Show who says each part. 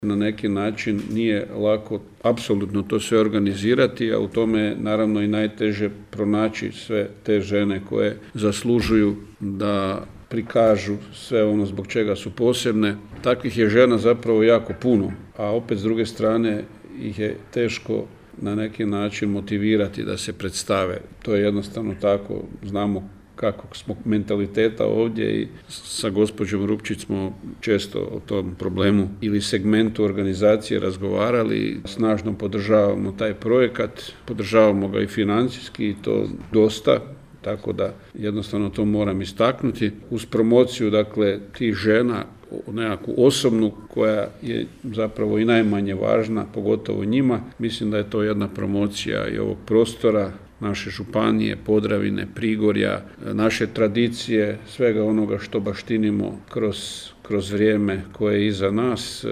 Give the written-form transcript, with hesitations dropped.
Speaker 1: Na neki način nije lako apsolutno to sve organizirati, a u tome je naravno i najteže pronaći sve te žene koje zaslužuju da prikažu sve ono zbog čega su posebne. Takvih je žena zapravo jako puno, a opet s druge strane ih je teško na neki način motivirati da se predstave. To je jednostavno tako, znamo kakvog smo mentaliteta ovdje i sa gospođom Rupčić smo često o tom problemu ili segmentu organizacije razgovarali. Snažno podržavamo taj projekat, podržavamo ga i financijski i to dosta, tako da jednostavno to moram istaknuti. Uz promociju, dakle, tih žena, nekakvu osobnu koja je zapravo i najmanje važna, pogotovo njima, mislim da je to jedna promocija i ovog prostora, naše županije, Podravine, Prigorja, naše tradicije, svega onoga što baštinimo kroz vrijeme koje je iza nas.